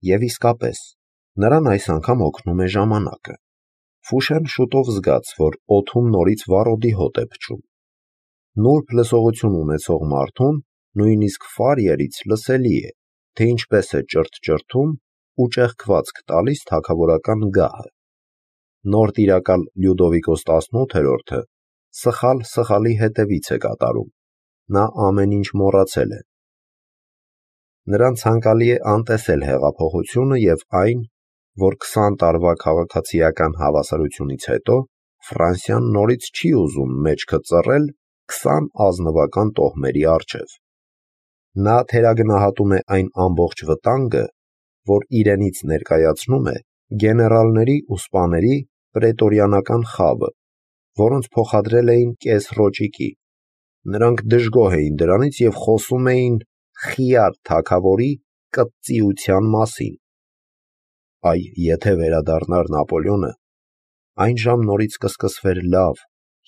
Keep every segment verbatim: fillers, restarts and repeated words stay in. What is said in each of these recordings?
Եվ իսկապես, նրան այս անգամ օգնում է ժամանակը։ Ֆուշեն շուտով զգաց, որ օդում նորից վառոդի հոտ է փչում։ Նուրբ լսողություն ունեցող մարդուն նույնիսկ ֆարիերից լսելի է, թե ինչպես է ճրթ-ճրթում ու ճեղքվածք տալիս թագավորական գահը։ Նոր տիրակալ Լյուդովիկոս տասնութերորդը սխալ սխալի հետևից է կատարում, նա ամեն ինչ մոռացել է։ Նրան ցանկալի է անտեսել հեղափոխությունը և այն, որ քսան տարվա քաղաքացիական հավասարությունից հետո Ֆրանսիան նորից չի ուզում մեջքը ծռել քսան ազնվական տոհմերի առջև։ Նա թերագնահատում է այն ամբողջ վտանգը, որ իրենից ներկայացնում է գեներալների ու սպաների պրետորիանական խավը, որոնց փոխադրել էին կես ռոճիկի։ Նրանք դժգոհ էին դրանից և խոսում էին խիար թագավորի կծծիության մասին։ Այ եթե վերադառնար Նապոլեոնը, այն ժամ նորից կսկսվեր լավ,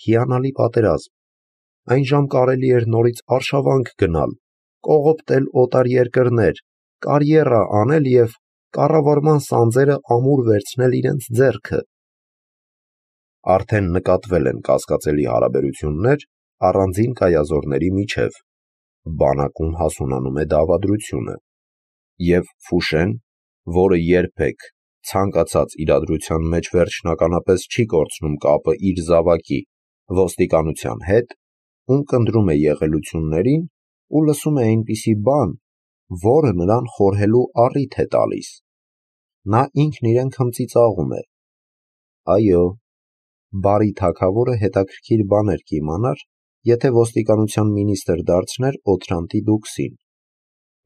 հիանալի պատերազմ, այն ժամ կարելի էր նորից արշավանք գնալ, կողոպտել օտար երկրներ, կարիերա անել և կառավարման սանձերը ամուր վերցնել իրենց ձեռքը։ Արդեն նկատվել են կասկածելի հարաբերություններ առանձին կայազորների միջև, բանակում հասունանում է դավադրությունը, և Ֆուշեն, որը երբեք ցանկացած իրադրության մեջ վերջնականապես չի կորցնում կապը իր զավակի ոստիկանության հետ, ունկնդրում է եղելություններին ու լսում է այնպիսի բան, որը նրան խորհելու առիթ է տալիս։ Նա ինքն իրեն քմծիծաղում է. այո, բարի թագավորը հետաքրքիր բաներ կիմանար, եթե ոստիկանության մինիստր դարձներ Օթրանտի դուքսին,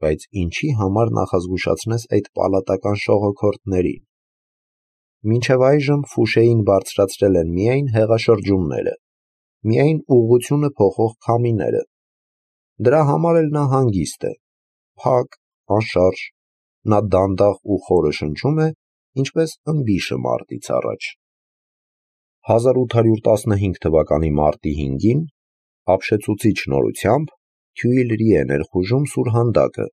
բայց ինչի համար նախազգուշացնես այդ պալատական շողոքորթներին։ Մինչև այժմ Ֆուշեին բարձրացրել են միայն հեղաշրջումները, միայն ուղղությունը փոխող քամիները։ Դրա համար էլ նա հանգիստ է, փակ, անշարժ, նա դանդաղ ու խորը շնչում է, ինչպես ըմբիշը մարտից առաջ։ հազար ութ հարյուր տասնհինգ թվականի մարտի հինգին ապշեցուցիչ նորությամբ Թյուիլրի է ներխուժում սուրհանդակը։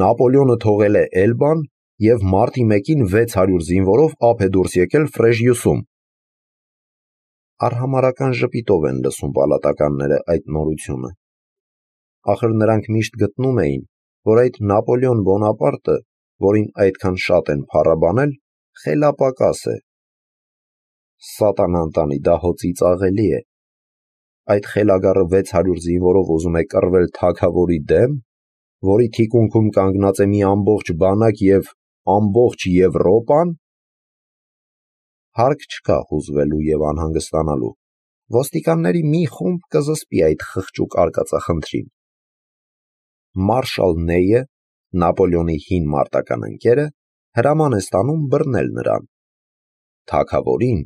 Նապոլեոնը թողել է Էլբան և մարտի մեկին վեց հարյուր զինվորով ափ է դուրս եկել Ֆրեժիուսում։ Արհամարհական ժպիտով են լսում պալատականները այդ նորությունը։ Ախր նրանք միշտ գտնում էին, որ այդ Նապոլեոն Բոնապարտը, որին այդքան շատ են փառաբանել, խելապակաս է։ Սատանան տանի, դա հո ծիծաղելի է։ Այդ խելագարը վեց հարյուր զինվորով ուզում է կռվել թագավորի դեմ, որի թիկունքում կանգնած է մի ամբողջ բանակ և ամբողջ Եվրոպան։ Հարկ չկա հուզվելու և անհանգստանալու, ոստիկանների մի խումբ կզսպի այդ խղճուկ արկածախնդրին։ Մարշալ Նեյը, Նապոլեոնի հին մարտական ընկերը, հրաման է ստանում բռնել նրան։ Թագավորին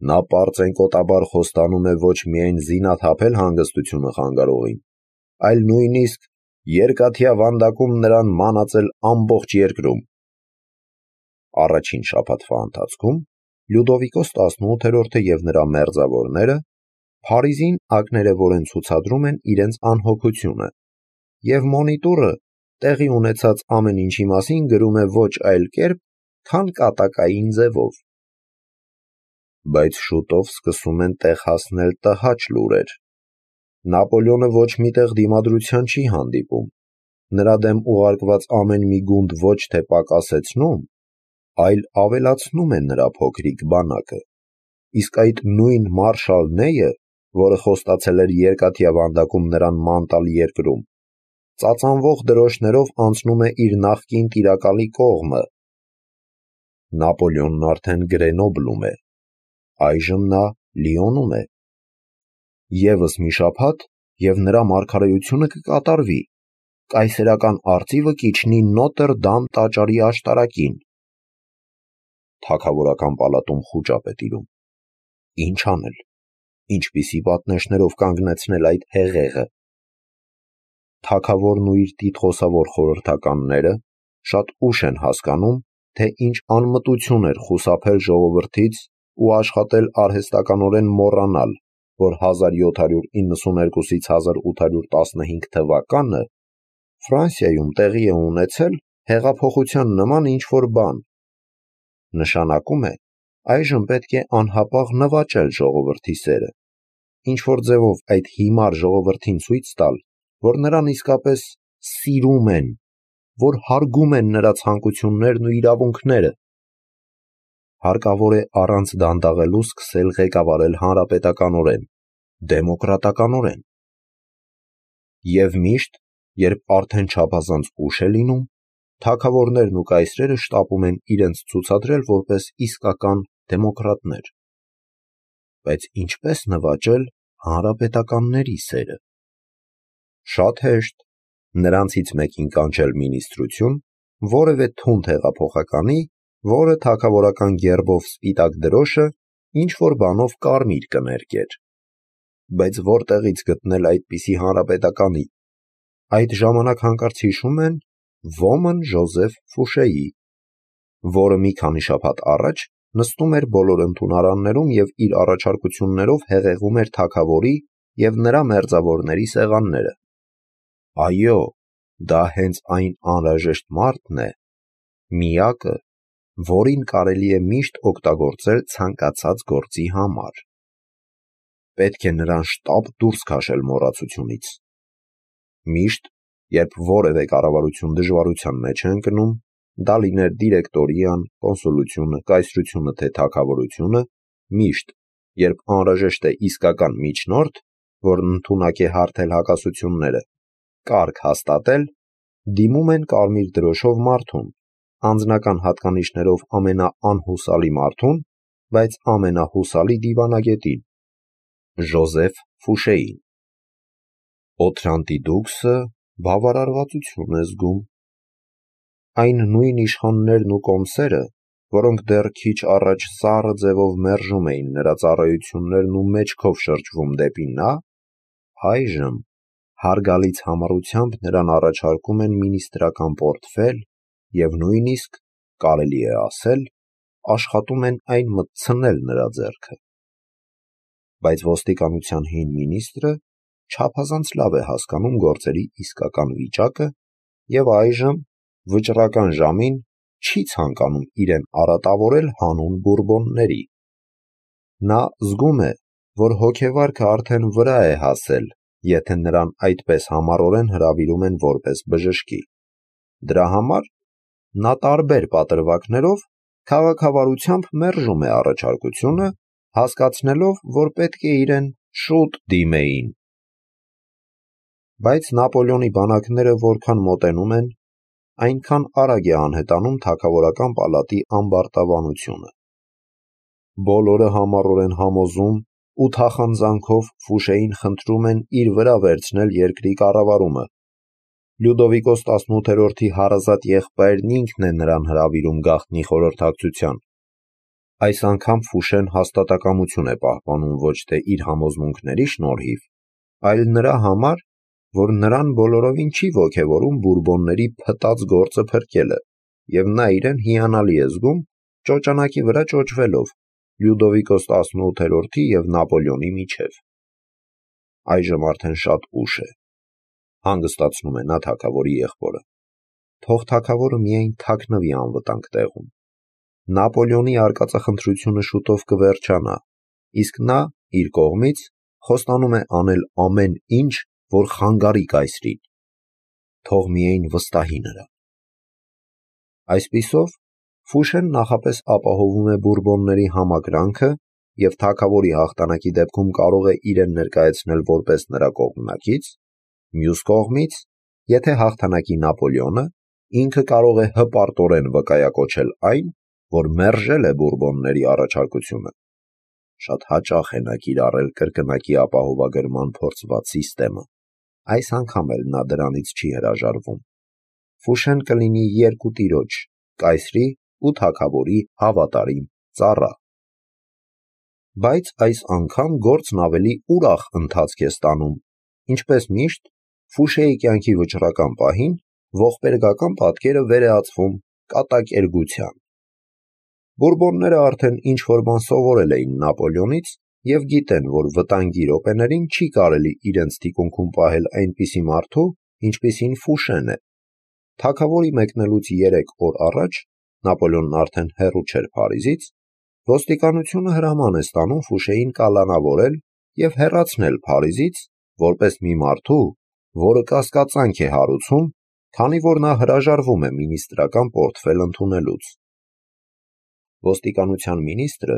նա պարծենկոտաբար խոստանում է ոչ միայն զինաթափել հանգստությունը խանգարողին, այլ նույնիսկ երկաթյա վանդակում նրան մանածել ամբողջ երկրում։ Առաջին շաբաթվա ընթացքում Լյուդովիկոս տասնութերորդը և նրա մերձավորները Փարիզին ակներևորեն ցուցադրում են իրենց անհոգությունը, և մոնիտորը տեղի ունեցած ամեն ինչի մասին գրում է ոչ այլ կերպ, քան կատակային ձևով։ Բայց շուտով սկսում են տեղ հասնել տհաճ լուրեր։ Նապոլեոնը ոչ մի տեղ դիմադրության չի հանդիպում, նրա դեմ ուղարկված ամեն մի գունդ ոչ թե պակասեցնում, այլ ավելացնում է նրա փոքրիկ բանակը, իսկ այդ նույն մարշալ Նեյը, որը խոստացել էր երկաթյա վանդակում նրան ման տալ երկրում, ծածանվող դրոշներով անցնում է իր նախկին տիրակալի կողմը։ Նապոլեոնն արդեն Գրենոբլում է, այժմ նա Լիոնում է։ Եվս մի շաբաթ, և նրա մարգարեությունը կկատարվի, կայսերական արծիվը կիջնի Նոտր Դամ տաճարի աշտարակին։ Թագավորական պալատում խուճապ է տիրում։ Ինչ անել, ինչպիսի պատնեշներով կանգնեցնել այդ հեղեղը։ Թագավորն ու իր տիտղոսավոր խորհրդականները շատ ուշ են հասկանում, թե ինչ անմտություն էր խուսափել ժողովրդից ու աշխատել արհեստականորեն մոռանալ, որ հազար յոթ հարյուր իննսուներկուսից հազար ութ հարյուր տասնհինգ թվականը Ֆրանսիայում տեղի է ունեցել հեղափոխության նման ինչ-որ բան։ Նշանակում է, այժմ պետք է անհապաղ նվաճել ժողովրդի սերը, ինչ-որ ձևով այդ հիմար ժողովրդին ցույց տալ, որ նրան իսկապես սիրում են, որ հարգում են նրա ցանկություններն ու իրավունքները։ Հարկավոր է առանց դանդաղելու սկսել ղեկավարել հանրապետականորեն, դեմոկրատականորեն։ Եվ միշտ, երբ արդեն չափազանց ուշ է լինում, թագավորներն ու կայսրերը շտապում են իրենց ցուցադրել որպես իսկական դեմոկրատներ։ Բայց ինչպես նվաճել հանրապետականների սերը։ Շատ հեշտ, նրանցից մեկին կանչել մինիստրություն, որևէ թունդ հեղափոխականի, որը թագավորական գերբով սպիտակ դրոշը ինչ-որ բանով կարմիր կներկեր։ Բայց որտեղից գտնել այդպիսի հանրապետականի։ Այդ ժամանակ հանկարծ հիշում են ոմն Ժոզեֆ Ֆուշեի, որը մի քանի շաբաթ առաջ նստում էր բոլոր ընդունարաններում և իր առաջարկություններով հեղեղում էր թագավորի և նրա մերձավորների սեղանները։ Այո, դա հենց այն անհրաժեշտ մարդն է, միակը, որին կարելի է միշտ օգտագործել ցանկացած գործի համար։ Պետք է նրան շտապ դուրս քաշել մոռացությունից։ Միշտ, երբ որևէ կառավարություն դժվարության մեջ է ընկնում, դա լիներ դիրեկտորիան, կոնսուլությունը, կայսրությունը թե թագավորությունը, միշտ, երբ անհրաժեշտ է իսկական միջնորդ, որն ընդունակ է հարթել հակասությունները, կարգ հաստատել, դիմում են կարմիր դրոշով մարդուն, անձնական հատկանիշներով ամենաանհուսալի մարդուն, բայց ամենահուսալի դիվանագետին՝ Ժոզեֆ Ֆուշեին։ Օթրանտի դուքսը բավարարվածություն է զգում։ Այն նույն իշխաններն ու կոմսերը, որոնք դեռ քիչ առաջ սառը ձևով մերժում էին նրա ծառայություններն ու մեջքով շրջվում դեպի նա, այժմ հարգալից համառությամբ նրան առաջարկում են մինիստրական պորտֆել և նույնիսկ, կարելի է ասել, աշխատում են այն մտցնել նրա ձեռքը։ Բայց ոստիկանության հին մինիստրը չափազանց լավ է հասկանում գործերի իսկական վիճակը և այժմ, վճռական ժամին, չի ցանկանում իրեն արատավորել հանուն Բուրբոնների։ Նա զգում է, որ հոգեվարքը արդեն վրա է հասել, եթե նրան այդպես համառորեն հրավիրում են որպես բժշկի։ Դրա համար նա տարբեր պատրվակներով քաղաքավարությամբ մերժում է առաջարկությունը, հասկացնելով, որ պետք է իրեն շուտ դիմեին։ Բայց Նապոլեոնի բանակները որքան մոտենում են, այնքան արագ է անհետանում թագավորական պալատի ամբարտավանությունը։ Բոլորը համառորեն համոզում ու թախանձանքով Ֆուշեին խնդրում են իր վրա վերցնել երկրի կառավարումը։ Լյուդովիկոս տասնութերորդի հարազատ եղբայրն ինքն է նրան հրավիրում գաղտնի խորհրդակցության։ Այս անգամ Ֆուշեն հաստատակամություն է պահպանում ոչ թե իր համոզմունքների շնորհիվ, այլ նրա համար, որ նրան բոլորովին չի ոգևորում Բուրբոնների փտած գործը փրկելը, և նա իրեն հիանալի է զգում ճոճանակի վրա ճոճվելով Լյուդովիկոս տասնութերորդի և Նապոլեոնի միջև։ Այժմ արդեն շատ ուշ է, հանգստացնում է նա թագավորի եղբորը։ Թող թագավորը միայն թաքնվի անվտանգ տեղում։ Նապոլեոնի արկածախնդրությունը շուտով կվերջանա, իսկ նա, իր կողմից, խոստանում է անել ամեն ինչ, որ խանգարի կայսրին։ Թող միայն վստահի նրան։ Այսպիսով, Ֆուշեն նախապես ապահովում է Բուրբոնների համակրանքը և թագավորի հաղթանակի դեպքում կարող է իրեն ներկայացնել որպես նրա կողմնակից, մյուս կողմից, եթե հաղթանակի Նապոլեոնը, ինքը կարող է հպարտորեն վկայակոչել այն, որ մերժել է Բուրբոնների առաջարկությունը։ Շատ հաճախ է նա կիրառել կրկնակի ապահովագրման փորձված սիստեմը։ Այս անգամ էլ նա դրանից չի հրաժարվում։ Ֆուշեն կլինի երկու տիրոջ՝ կայսրի ու թագավորի հավատարիմ ծառա։ Բայց այս անգամ գործն ավելի ուրախ ընթացք է ստանում։ Ինչպես միշտ, Ֆուշեի կյանքի վճռական պահին ողբերգական պատկերը վերեածվում կատակերգության։ Բուրբոնները արդեն ինչ-որ բան սովորել էին Նապոլեոնից և գիտեն, որ վտանգի րոպեներին չի կարելի իրենց թիկունքում պահել այնպիսի մարդու, ինչպիսին Ֆուշեն է։ թագավորի մեկնելուց երեք օր առաջ, Նապոլեոնն արդեն հեռու չէր Փարիզից, ոստիկանությունը հրաման է ստանում Ֆուշեին կալանավորել և հեռացնել Փարիզից, որպես մի մարդու, որը կասկածանք է հարուցում, քանի որ նա հրաժարվում է մինիստրական պորտֆել ընդունելուց։ Ոստիկանության մինիստրը,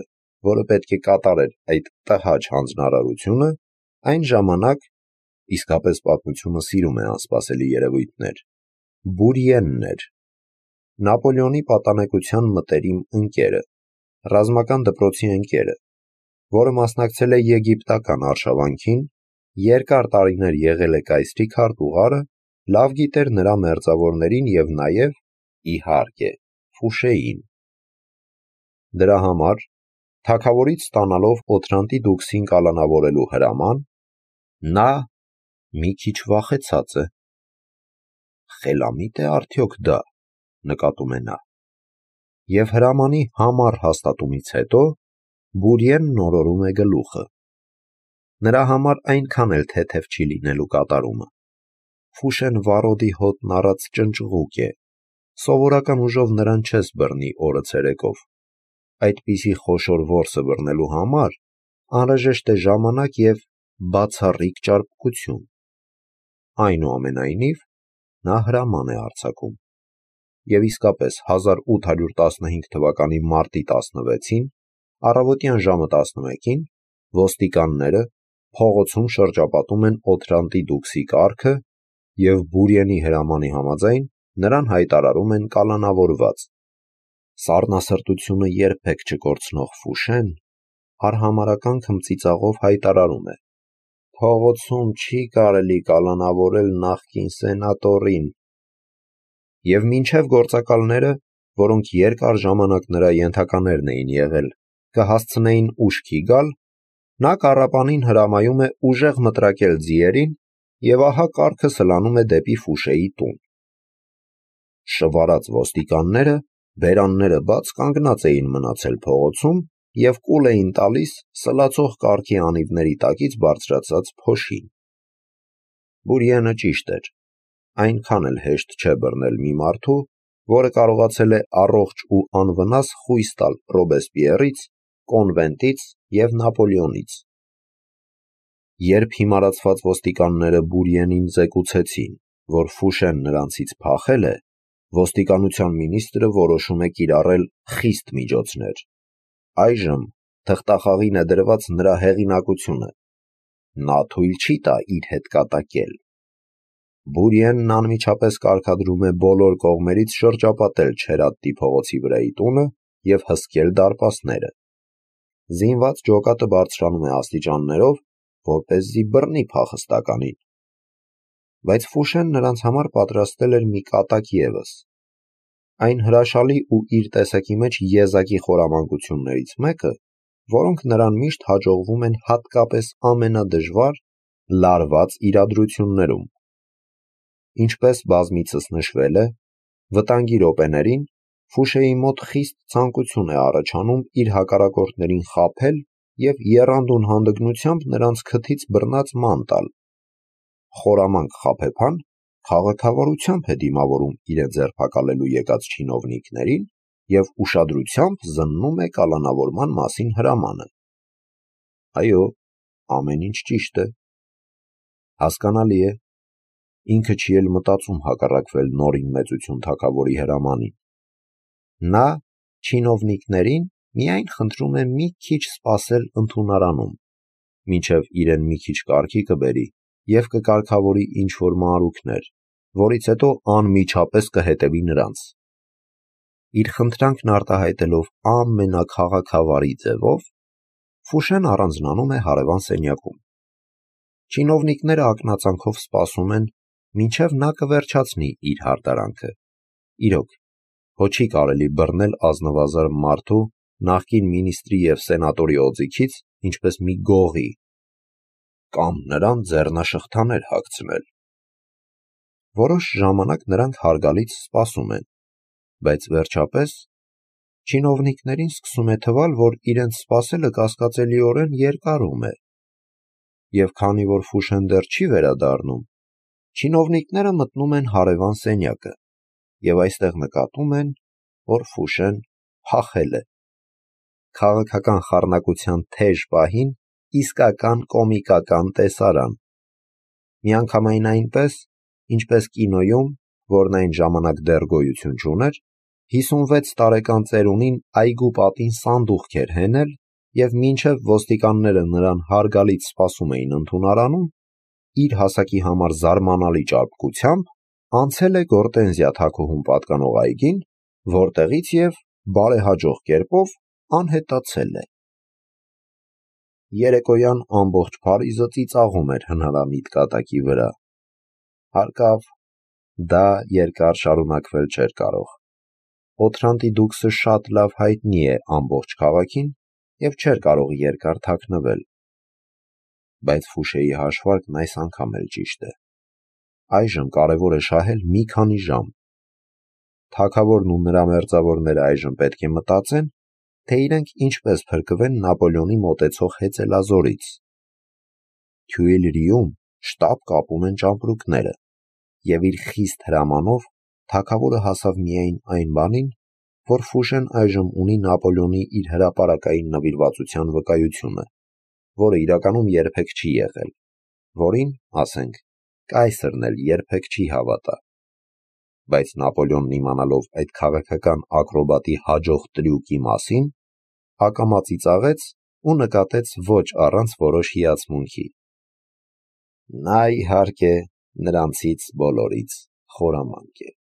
որը պետք է կատարեր այդ տհաճ հանձնարարությունը, այն ժամանակ, իսկապես պատմությունը սիրում է անսպասելի երևույթներ, Բուրիենն էր, Նապոլեոնի պատանեկության մտերիմ ընկերը, ռազմական դպրոցի ընկերը, որը մասնակցել է եգիպտական արշավանքին, երկար տարիներ եղել է կայսրի քարտուղարը, լավ գիտեր նրա մերձավորներին և նաև, իհարկե, Ֆուշեին։ Դրա համար, թագավորից ստանալով Օթրանտի դուքսին կալանավորելու հրաման, նա մի քիչ վախեցած է։ Խելամիտ է արդյոք դա, նկատում է նա։ Եվ հրամանի համառ հաստատումից հետո Բուրիենն օրորում է գլուխը։ Նրա համար այնքան էլ թեթև չի լինելու կատարումը։ Ֆուշեն վառոդի հոտն առած ճնճղուկ է, սովորական ուժով նրան չես բռնի օրը ցերեկով։ Այդպիսի խոշոր որսը բռնելու համար անհրաժեշտ է ժամանակ և բացառիկ ճարպկություն։ Այնուամենայնիվ, նա հրաման է արձակում։ Եվ իսկապես հազար ութ հարյուր տասնհինգ թվականի մարտի տասնվեցին, առավոտյան ժամը տասնմեկին, ոստիկանները փողոցում շրջապատում են Օթրանտի դուքսի կառքը և Բուրիենի հրամանի համաձայն նրան հայտարարում են կալանավորված։ Սառնասրտությունը երբեք չկորցնող Ֆուշեն արհամարհական քմծիծաղով հայտարարում է. «Փողոցում չի կարելի կալանավորել նախկին սենատորին»։ Եվ մինչև գործակալները, որոնք երկար ժամանակ նրա ենթականերն էին եղել, կհասցնեին ուշքի գալ, նա կառապանին հրամայում է ուժեղ մտրակել ձիերին և ահա կառքը սլանում է դեպի Ֆուշեի տուն։ Շվարած ոստիկանները, բերանները բաց, կանգնած էին մնացել փողոցում և կուլ էին տալիս սլացող կառքի անիվների տակից բարձրացած փոշին։ Բուրիենը ճիշտ էր, այնքան էլ հեշտ չէ բռնել մի մարդու, որը կարողացել է առողջ ու անվնաս խույս տալ Ռոբեսպիերից, Կոնվենտից և Նապոլեոնից։ Երբ հիմարացված ոստիկանները Բուրիենին զեկուցեցին, որ Ֆուշեն նրանցից փախել է, ոստիկանության մինիստրը որոշում է կիրառել խիստ միջոցներ։ Այժմ թղթախաղին է դրված նրա հեղինակությունը։ Նա թույլ չի տա իր հետ կատակել։ Բուրիենն անմիջապես կարգադրում է բոլոր կողմերից շրջապատել Չերատտի փողոցի վրայի տունը և հսկել դարպասները։ Զինված ջոկատը բարձրանում է աստիճաններով, որպեսզի բռնի փախստականին։ Բայց Ֆուշեն նրանց համար պատրաստել էր մի կատակ ևս։ Այն հրաշալի ու իր տեսակի մեջ եզակի խորամանկություններից մեկը, որոնք նրան միշտ հաջողվում են հատկապես ամենադժվար, լարված իրադրություններում։ Ինչպես բազմիցս նշվել է, վտանգի րոպեներին Ֆուշեի մոտ խիստ ցանկություն է առաջանում իր հակառակորդներին խաբել և եռանդուն հանդգնությամբ նրանց քթից բռնած ման տալ։ Խորամանկ խաբեբան քաղաքավարությամբ է դիմավորում իրեն ձերբակալելու եկած չինովնիկներին և ուշադրությամբ զննում է կալանավորման մասին հրամանը։ Այո, ամեն ինչ ճիշտ է։ Հասկանալի է, ինքը չի էլ մտածում հակառակվել նորին մեծություն թագավորի հրամանին։ Նա չինովնիկներին միայն խնդրում է մի քիչ սպասել ընդունարանում, մինչև իրեն մի քիչ կարգի կբերի և կկարգավորի ինչ-որ մանրուքներ, որից հետո անմիջապես կհետևի նրանց։ Իր խնդրանքն արտահայտելով ամենաքաղաքավարի ձևով, Ֆուշեն առանձնանում է հարևան սենյակում։ Չինովնիկները ակնածանքով սպասում են, մինչև նա կվերջացնի իր հարդարանքը։ Իրոք, հո չի կարելի բռնել ազնվազարդ մարդու, նախկին մինիստրի և սենատորի օձիքից, ինչպես մի գողի, կամ նրան ձեռնաշղթաներ հագցնել։ Որոշ ժամանակ նրանք հարգալից սպասում են, բայց վերջապես չինովնիկներին սկսում է թվալ, որ իրենց սպասելը կասկածելիորեն երկարում է։ Եվ քանի որ Ֆուշեն դեռ չի վերադառնում, չինովնիկները մտնում են հարևան սենյակը, և այստեղ նկատում են, որ Ֆուշեն փախել է։ Քաղաքական խառնակության թեժ պահին իսկական կոմիկական տեսարան։ Միանգամայն այնպես, ինչպես կինոյում, որն այն ժամանակ դեռ գոյություն չուներ, հիսունվեց տարեկան ծերունին այգու պատին սանդուղք էր հենել և մինչև ոստիկանները նրան հարգալից սպասում էին ընդունարանում, իր հասակի համար զարմանալի ճարպկությամբ անցել է Գորտենզիա թագուհուն պատկանող այգին, որտեղից և բարեհաջող կերպով անհետացել է։ Երեկոյան ամբողջ Փարիզը ծիծաղում էր հնարամիտ կատակի վրա։ Հարկավ, դա երկար շարունակվել չէր կարող։ Օթրանտի դուքսը շատ լավ հայտնի է ամբողջ քաղաքին և չէր կարող երկար թաքնվել։ Բայց Ֆուշեի հաշվարկն այս անգամ էլ ճիշտ է։ Այժմ կարևոր է շահել մի քանի ժամ։ Թագավորն ու նրա մերձավորները այժմ պետք է մտածեն, թե իրենք ինչպես փրկվեն Նապոլեոնի մոտեցող հեծելազորից։ Թյուիլրիում շտապ կապում են ճամպրուկները, և իր խիստ հրամանով թագավորը հասավ միայն այն բանին, որ Ֆուշեն այժմ ունի Նապոլեոնի իր հրապարակային նվիրվածության վկայությունը, որը իրականում երբեք չի եղել, որին, ասենք, կայսրն էլ երբեք չի հավատա։ Բայց Նապոլեոնն իմանալով այդ քաղաքական ակրոբատի հաջող տրյուկի մասին, ակամա ծիծաղեց ու նկատեց ոչ առանց որոշ հիացմունքի. նա, իհարկե, նրանցից բոլորից խորամանկ է։